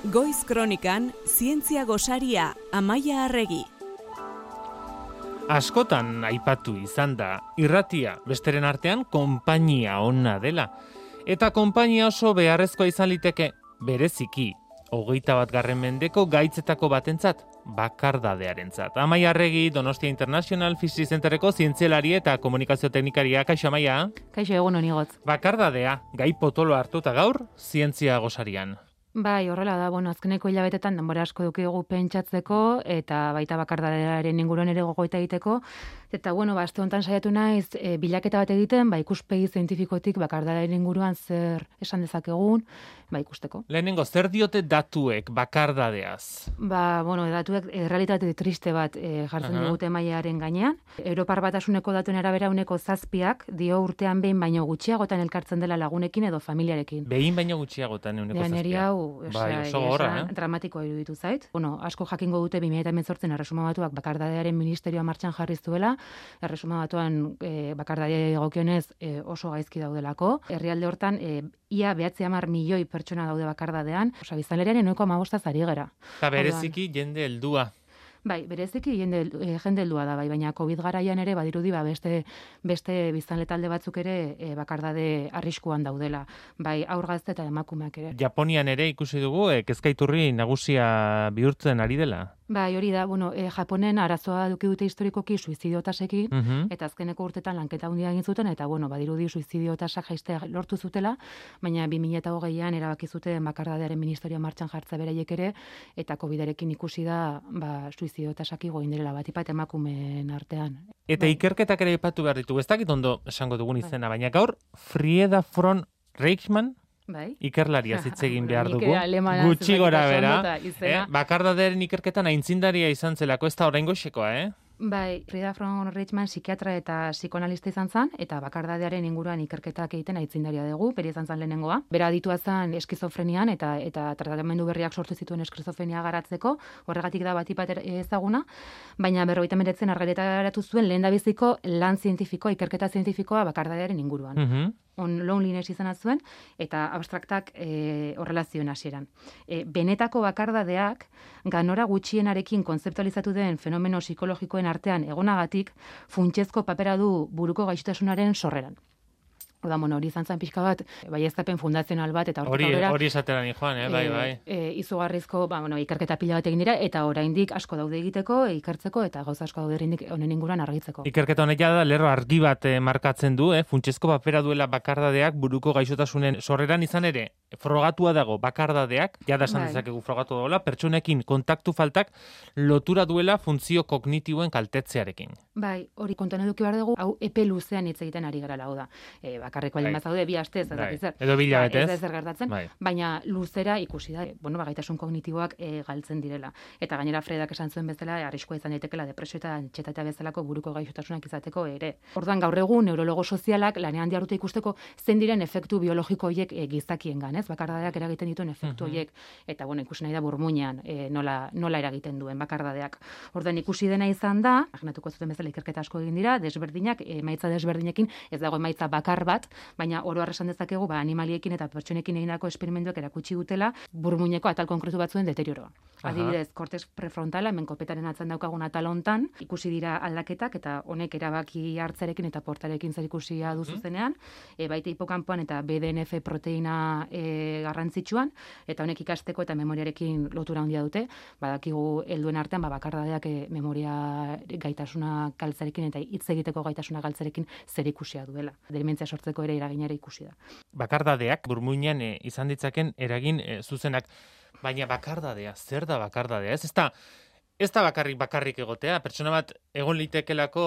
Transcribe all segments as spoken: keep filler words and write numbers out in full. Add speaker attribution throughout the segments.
Speaker 1: Goiz Kronikan, zientzia gosaria, Amaia Arregi.
Speaker 2: Askotan aipatu izan da, irratia besteren artean konpainia ona dela. Eta konpainia oso beharrezkoa izan liteke, bereziki, hogeita bat garren mendeko gaitzetako batentzat, bakardadearentzat. Amaia Arregi, Donostia International Physics Centerreko zientzialari eta komunikazio teknikaria. Kaixo, Amaia?
Speaker 3: Kaixo, egun honi gotz.
Speaker 2: Bakardadea, gai potolo hartuta gaur, zientzia gosarian.
Speaker 3: Bai, horrela da, bueno, azkeneko hilabetetan denbora asko dukigu pentsatzeko eta baita bakardadearen inguruan ere gogoeta egiteko. Eta, bueno, ba, aste honetan saiatu naiz e, bilaketa bat egiten, ba, ikuspegi zientifikotik bakardadearen inguruan zer esan dezakegun, ba, ikusteko.
Speaker 2: Lehenengo, zer diote datuek bakardadeaz?
Speaker 3: Ba, bueno, datuek e, realitate triste bat e, jartzen uh-huh. digute mailaren gainean. Europar Batasuneko datuen arabera uneko zazpiak dio urtean behin baino gutxiagotan elkartzen dela lagunekin edo familiarekin.
Speaker 2: Behin baino gutxiagotan uneko zazpiak.
Speaker 3: Bai, oso gorra, eh? Dramatikoa iruditu zait. Bueno, asko jakingo dute bi mila hemezortzian Erresuma Batuak bakardadearen ministerioa martxan jarri zuela. Erresuma Batuan e, bakardadea egokionez e, oso gaizki daudelako. Herrialde hortan e, ia behatzi hamar milioi pertsona daude bakardadean. Osa, biztanleriaren ehuneko hamabostaz ari gara.
Speaker 2: Eta bereziki jende heldua.
Speaker 3: Bai, bereziki jende, e, jende heldua da, bai, baina COVID garaian ere badirudi ba beste beste biztanle talde batzuk ere e, bakardade arriskuan daudela, bai haur gazte eta emakumeak ere.
Speaker 2: Japonian ere ikusi dugu e, kezkaiturri nagusia bihurtzen ari dela.
Speaker 3: Bai, hori da, bueno, e, Japonen arazoa duki dute historikoki suizidio tasekin,
Speaker 2: uh-huh.
Speaker 3: eta azkeneko urtetan lanketa handia egin zuten, eta bueno, badirudi suizidio tasak jaistea lortu zutela, baina bi mila hogeian erabaki zuten bakardadearen ministerioa martxan jartza beraiek ere, eta COVIDarekin ikusi da, ba, suizidio tasak igo inderela bat ipat emakumeen artean.
Speaker 2: Eta
Speaker 3: bai.
Speaker 2: Ikerketak ere aipatu behar ditugu, ez dakit ondo esango dugun izena, bai. Baina gaur Frieda von Reichmann, bai. Ikerlaria hitz egin behar dugu. Gutxi gora bera. Eh? Bakardadearen ikerketan aitzindaria izan zelako, ez da oraingoxekoa, eh?
Speaker 3: Bai, Frieda von Reichmann psikiatra eta psikoanalista izan zen, eta bakardadearen inguruan ikerketak egiten aitzindaria dugu, bere izan zen lehenengoa. Bera aditua zen eskizofrenian eta eta tratamendu berriak sortu zituen eskizofrenia garatzeko, horregatik da batipat ezaguna, baina berrogeita hemeretzian argitaratu zuen lehendabiziko lan zientifikoa, ikerketa zientifikoa bakardadearen inguruan.
Speaker 2: Uh-huh.
Speaker 3: On loneliness izan zuen, eta abstraktak e, horrela zioen hasieran. E, benetako bakardadeak, ganora gutxienarekin kontzeptualizatu den fenomeno psikologikoen artean egonagatik, funtsezko papera du buruko gaixotasunaren sorreran. Oda, bueno, hori izan zen pixka bat, bai eztapen fundazional bat, eta
Speaker 2: hori hori esatera ni joan, eh, bai, bai.
Speaker 3: E, izugarrizko, ba, bueno, ikerketa pila bat egin dira, eta oraindik asko daude egiteko, ikertzeko, eta gauza asko daude oraindik honen inguruan argitzeko.
Speaker 2: Ikerketa honek da lerro argi bat eh, markatzen du, eh, funtsezko papera duela bakardadeak buruko gaixotasunen sorreran izan ere, frogatua dago bakardadeak, jada esan dezakegu frogatu dagoela, pertsonekin kontaktu faltak lotura duela funtzio kognitiboen kaltetzearekin.
Speaker 3: Bai, hori kontuan eduki behar dugu, hau epe luzean hitz egiten ari gara, hau da. E, bakarreko alin bazaude, bi astez, ez dakit zer.
Speaker 2: Edo bilabetez.
Speaker 3: Ez zer gertatzen, bai. Baina luzera ikusi da, bueno, gaitasun kognitiboak e, galtzen direla. Eta gainera Fredak esan zuen bezala, arriskua izan daitekela depresio eta antsietatea bezalako buruko gaixotasunak izateko ere. Orduan gaur egun neurologo sozialak lanean diharduta ikusteko zen diren efektu biologiko horiek e, gizakiengan, ez? Bakardadeak eragiten dituen efektu horiek, uh-huh. eta bueno, ikusi nahi da burmuinean e, nola, nola eragiten duen bakardadeak. Orduan ikusi dena izan da, imaginatuko zuten bezala ikerketa asko egin dira, desberdinak, emaitza desberdinekin, ez dago emaitza bakar bat, baina oro har esan dezakegu ba animaliekin eta pertsonekin egindako esperimentuak erakutsi dutela burmuineko atal konkretu batzuen deterioroa. Adibidez, kortex prefrontala, hemen kopetaren atzean daukagun atal hontan, ikusi dira aldaketak eta honek erabaki hartzarekin eta portarekin zerikusia du zuzenean, e, baita hipokampoan eta B D N F proteina e, garrantzitsuan, eta honek ikasteko eta memoriarekin lotura handia dute, badakigu helduen artean ba bakardadeak e, memoria gaitasuna galtzarekin eta hitz egiteko gaitasuna galtzarekin zerikusia duela. Dementzia sortzeko ere eraginera ikusi da.
Speaker 2: Bakardadeak burmuinean e, izan ditzaken eragin e, zuzenak, baina bakardadea, zer da bakardadea? Ez, ez da, ez da bakarrik bakarrik egotea, pertsona bat egon litekelako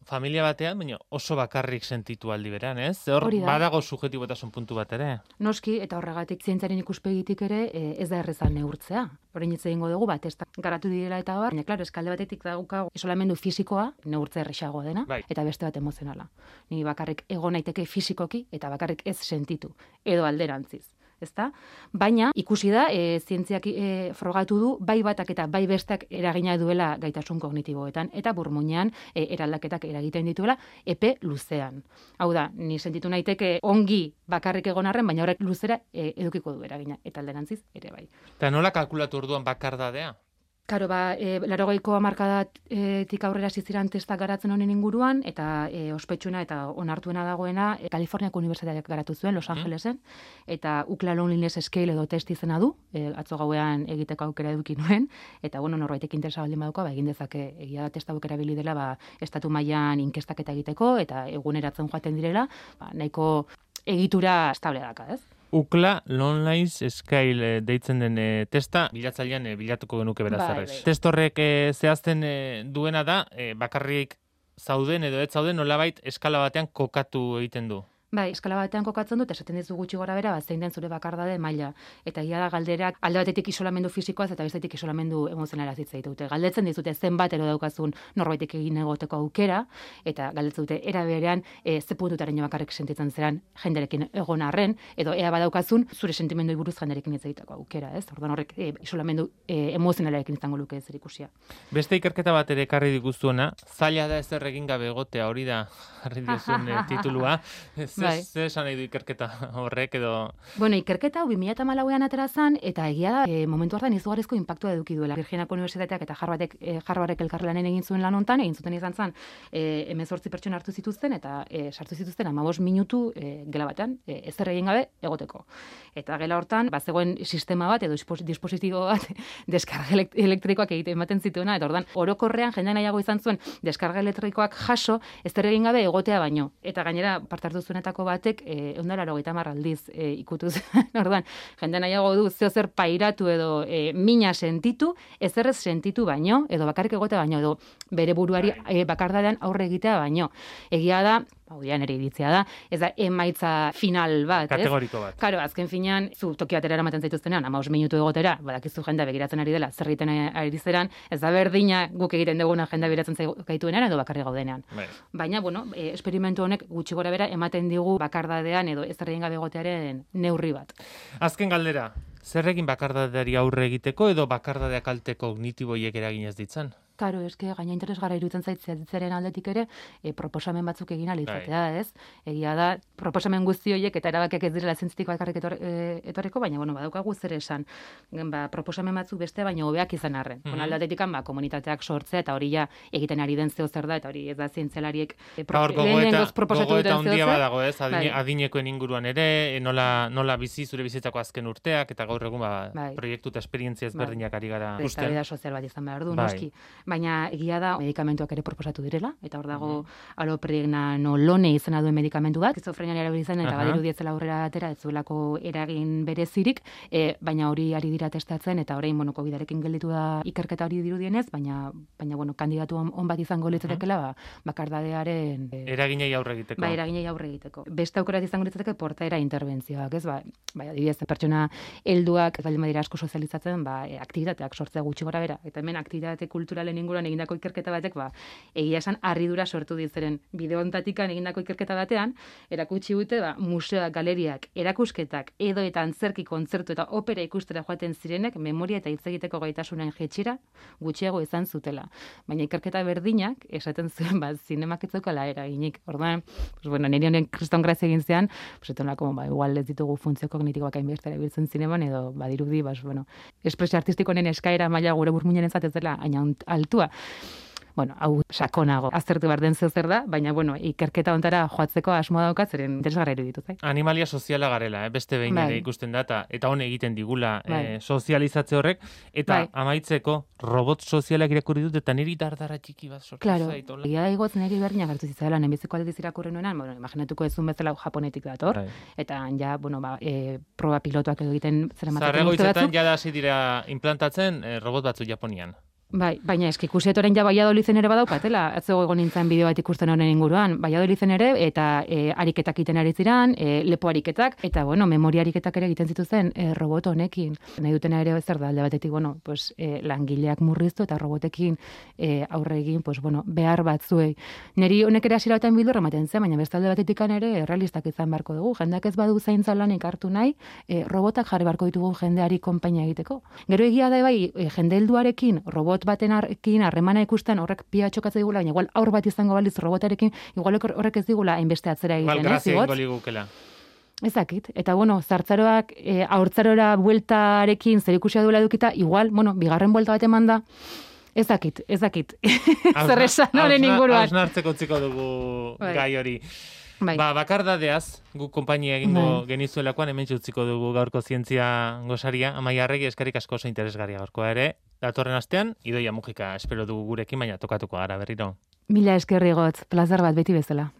Speaker 2: familia batean, baina oso bakarrik sentitu aldi beran, ez? Hor badago subjektibotasun puntu bat ere.
Speaker 3: Noski, eta horregatik zientziaren ikuspegitik ere e, ez da erreza neurtzea. Orain hitz egingo dugu bat, ez da garatu direla eta bar, baina klaro, eskalde batetik daukagu isolamendu fisikoa, neurtzea erresagoa dena, bai. Eta beste bat emozionala. Ni bakarrik egon naiteke fisikoki eta bakarrik ez sentitu, edo alderantziz. ezta? Baina ikusi da, e, zientziak e, frogatu du, bai batak eta bai bestak eragina duela gaitasun kognitiboetan, eta burmuinean e, eraldaketak eragiten dituela epe luzean. Hau da, ni sentitu naiteke ongi bakarrik egon arren, baina horrek luzera e, edukiko du eragina, eta alderantziz ere bai.
Speaker 2: Eta nola kalkulatu orduan bakardadea?
Speaker 3: Karo, ba, e, larogeiko hamarkadatik aurrera ziziran testak garatzen honen inguruan, eta e, ospetsuna eta onartuena dagoena, e, Kaliforniako Unibertsitateak garatu zuen, Los Angelesen, eta Ukla Loneliness Scale edo test izena du, e, atzo gauean egiteko aukera eduki nuen, eta bueno, norbaitek interesa baldin baduko, ba, egin dezake, egia da testa aukera bili dela, ba, estatu mailan inkestaketa egiteko, eta eguneratzen joaten direla, ba, nahiko egitura estable daka, ez?
Speaker 2: Ukla Loneliness Scale deitzen den e, testa, bilatzailean e, bilatuko genuke beraz
Speaker 3: Bai,
Speaker 2: errez.
Speaker 3: bai.
Speaker 2: Test horrek e, zehazten e, duena da, e, bakarrik zauden edo ez zauden nolabait eskala batean kokatu egiten du.
Speaker 3: Bai, eskala batean kokatzen dut, esaten dizu gutxi gora bera, zein den zure bakardade maila. Eta egia da galderak alde batetik isolamendu fisikoaz eta bestetik isolamendu emozionala hitz dute. Galdetzen dizute zenbat ero daukazun norbaitek egin egoteko aukera, eta galdetzen dute era berean e, ze puntutaraino bakarrik sentitzen zeran jenderekin egon arren, edo ea badaukazun zure sentimenduei buruz jenderekin hitz egiteko aukera, ez? Orduan horrek e, isolamendu e, emozionalarekin izango luke zer ikusia.
Speaker 2: Beste ikerketa bat ere ekarri diguzuena, zaila da ezer egin gabe egotea, hori da jarri diozun e, titulua.
Speaker 3: Bai.
Speaker 2: Zer esan nahi du ikerketa horrek edo...
Speaker 3: Bueno, ikerketa hau bi mila hamalauean atera zen, eta egia da, e, momentu hartan izugarrizko inpaktua eduki duela. Virginiako Unibertsitateak eta Harvardek, e, Harvardek elkarlanen egin zuen lan hontan, egin zuten izan zen, e, hemezortzi pertsona hartu zituzten, eta e, sartu zituzten hamabost minutu e, gela batean, e, ezer egin gabe egoteko. Eta gela hortan, bazegoen sistema bat, edo dispositibo bat, deskarga elektrikoak egiten ematen zituena, eta ordan orokorrean jende nahiago izan zuen deskarga elektrikoak jaso, ezer egin gabe egotea baino. Eta gainera, parte hartu zuenetako batek ehun eta laurogeita hamar aldiz e, ikutu zen. Orduan, jende nahiago du zeo zer pairatu edo e, mina sentitu, ezerrez sentitu baino, edo bakarrik egotea baino, edo bere buruari e, bakardadean aurre egitea baino. Egia da, hau dian ere iritzia da, ez da emaitza final bat,
Speaker 2: kategoriko bat.
Speaker 3: Karo, azken finean, zu toki batera eramaten zaituztenean, hamabost minutu egotera, badakizu jendea begiratzen ari dela, zer egiten ari zeran, ez da berdina guk egiten duguna jendea begiratzen gaituenean edo bakarri gaudenean.
Speaker 2: Bai.
Speaker 3: Baina, bueno, e, esperimentu honek gutxi gora bera ematen digu bakardadean edo ez egin gabe egotearen neurri bat.
Speaker 2: Azken galdera, zer egin bakardadeari aurre egiteko edo bakardadea kalte kognitiboiek eragin ez ditzan?
Speaker 3: Karo, eske gaina interesgarra iruditzen zaitzaren aldetik ere, e, proposamen batzuk egin ahal izatea, ez? Egia da, proposamen guzti horiek eta erabakiak ez direla zientzitik bakarrik etor, e, etorreko, baina bueno, badaukagu zer esan. Ba, proposamen batzuk beste baina hobeak izan arren. Mm -hmm. Aldetik ba, komunitateak sortzea eta hori ja egiten ari den zeo zer da eta hori ez da zientzialariek e, pro, lehenengoz proposatu duten zeo zer.
Speaker 2: Badago, ez? Adine, adinekoen inguruan ere, nola, nola bizi zure bizitzako azken urteak eta gaur egun ba, bai. Proiektu eta esperientzia ezberdinak bai. Ari gara
Speaker 3: ikusten. Eztabaida sozial bat izan behar du, bai. Noski. Baina egia da medikamentuak ere proposatu direla, eta hor dago mm-hmm. alopregnanolone izena duen medikamentu bat, skizofrenian erabili zen eta badiru dietzela aurrera atera ez zuelako eragin berezirik, e, baina hori ari dira testatzen eta orain bueno, covidarekin gelditu da ikerketa hori dirudienez, baina baina bueno, kandidatu on, on bat izango litzatekeela, ba, bakardadearen
Speaker 2: e, eraginei aurre egiteko.
Speaker 3: Ba, eraginei aurre egiteko. Beste aukera izango litzateke portaera interbentzioak, ez? Ba, bai, adibidez, pertsona helduak ez baldin badira asko sozializatzen, ba, e, aktibitateak sortzea gutxi gorabehera. Eta hemen aktibitate kulturalen inguruan egindako ikerketa batek, ba, egia esan harridura sortu ditzeren bideo ontatikan egindako ikerketa batean, erakutsi dute, ba, museoak, galeriak, erakusketak, edo eta antzerki kontzertu eta opera ikustera joaten zirenek, memoria eta hitz egiteko gaitasunen jetxira gutxiago izan zutela. Baina ikerketa berdinak, esaten zuen, ba, zinemak ez zeukala eraginik. Orduan, pues, bueno, niri honen kriston grazia egin zean, pues, etonako, ba, igual ez ditugu funtzio kognitikoak hainbestera biltzen zineman, edo, badirudi, ba, bueno, espresio artistikonen eskaera maila gure burmuinen ez dela, haina altua. Bueno, hau sakonago aztertu behar den zeu zer da, baina bueno, ikerketa ontara joatzeko asmoa daukat, zeren interesgarra iruditu zait.
Speaker 2: Animalia soziala garela, eh? Beste behin bai. Ere ikusten da, eta hon egiten digula bai. eh, sozializatze horrek, eta bai. Amaitzeko robot sozialak irakurri dut, eta niri dardara txiki bat sortu
Speaker 3: claro.
Speaker 2: Zait. Claro,
Speaker 3: egia igotz niri berdinak hartu zitzaiela, nenbiziko aldiz irakurri nuenan, bueno, imaginatuko ezun bezala japonetik dator, bai. Eta ja, bueno, ba, e, proba pilotuak edo egiten zer ematen
Speaker 2: Zarrego izetan, jada hasi dira implantatzen eh, robot batzu Japonian.
Speaker 3: Bai, baina eski ikusiet orain ja Valladoliden ere badaukatela. Atzo egon nintzen bideo bat ikusten honen inguruan. Valladoliden ere eta e, ariketak egiten ari ziran, e, lepo ariketak eta bueno, memoria ariketak ere egiten zituzten e, robot honekin. Nahi dutena ere zer da alde batetik, bueno, pues e, langileak murriztu eta robotekin e, aurre egin, pues bueno, behar batzuei. Neri honek ere hasiera batean bildur ematen zen, baina beste alde batetik ere realistak izan beharko dugu. Jendeak ez badu zaintza lanik hartu nahi, e, robotak jarri beharko ditugu jendeari konpainia egiteko. Gero egia da bai, e, jende helduarekin robot baten arkin harremana ikusten horrek pia txokatzen digula, baina igual aur bat izango baliz robotarekin, igual horrek ez digula hainbeste atzera egiten,
Speaker 2: igual, grazia ingo ligukela.
Speaker 3: Ezakit. Eta bueno, zartzaroak e, aurtzarora bueltarekin zerikusia duela edukita, igual, bueno, bigarren buelta bat eman da, ezakit, ezakit. Zer esan horren inguruan.
Speaker 2: Hausnartzeko utziko dugu
Speaker 3: bai.
Speaker 2: gai hori.
Speaker 3: Bai.
Speaker 2: Ba, bakardadeaz, gu konpainia egingo bai. Genizuelakoan, hemen utziko dugu gaurko zientzia gosaria. Amaia Arregi, eskerrik asko oso interesgarria gaurkoa ere. Datorren astean, Idoia Mujika espero dugu gurekin, baina tokatuko gara berriro.
Speaker 3: Mila eskerri gotz, plazer bat beti bezala.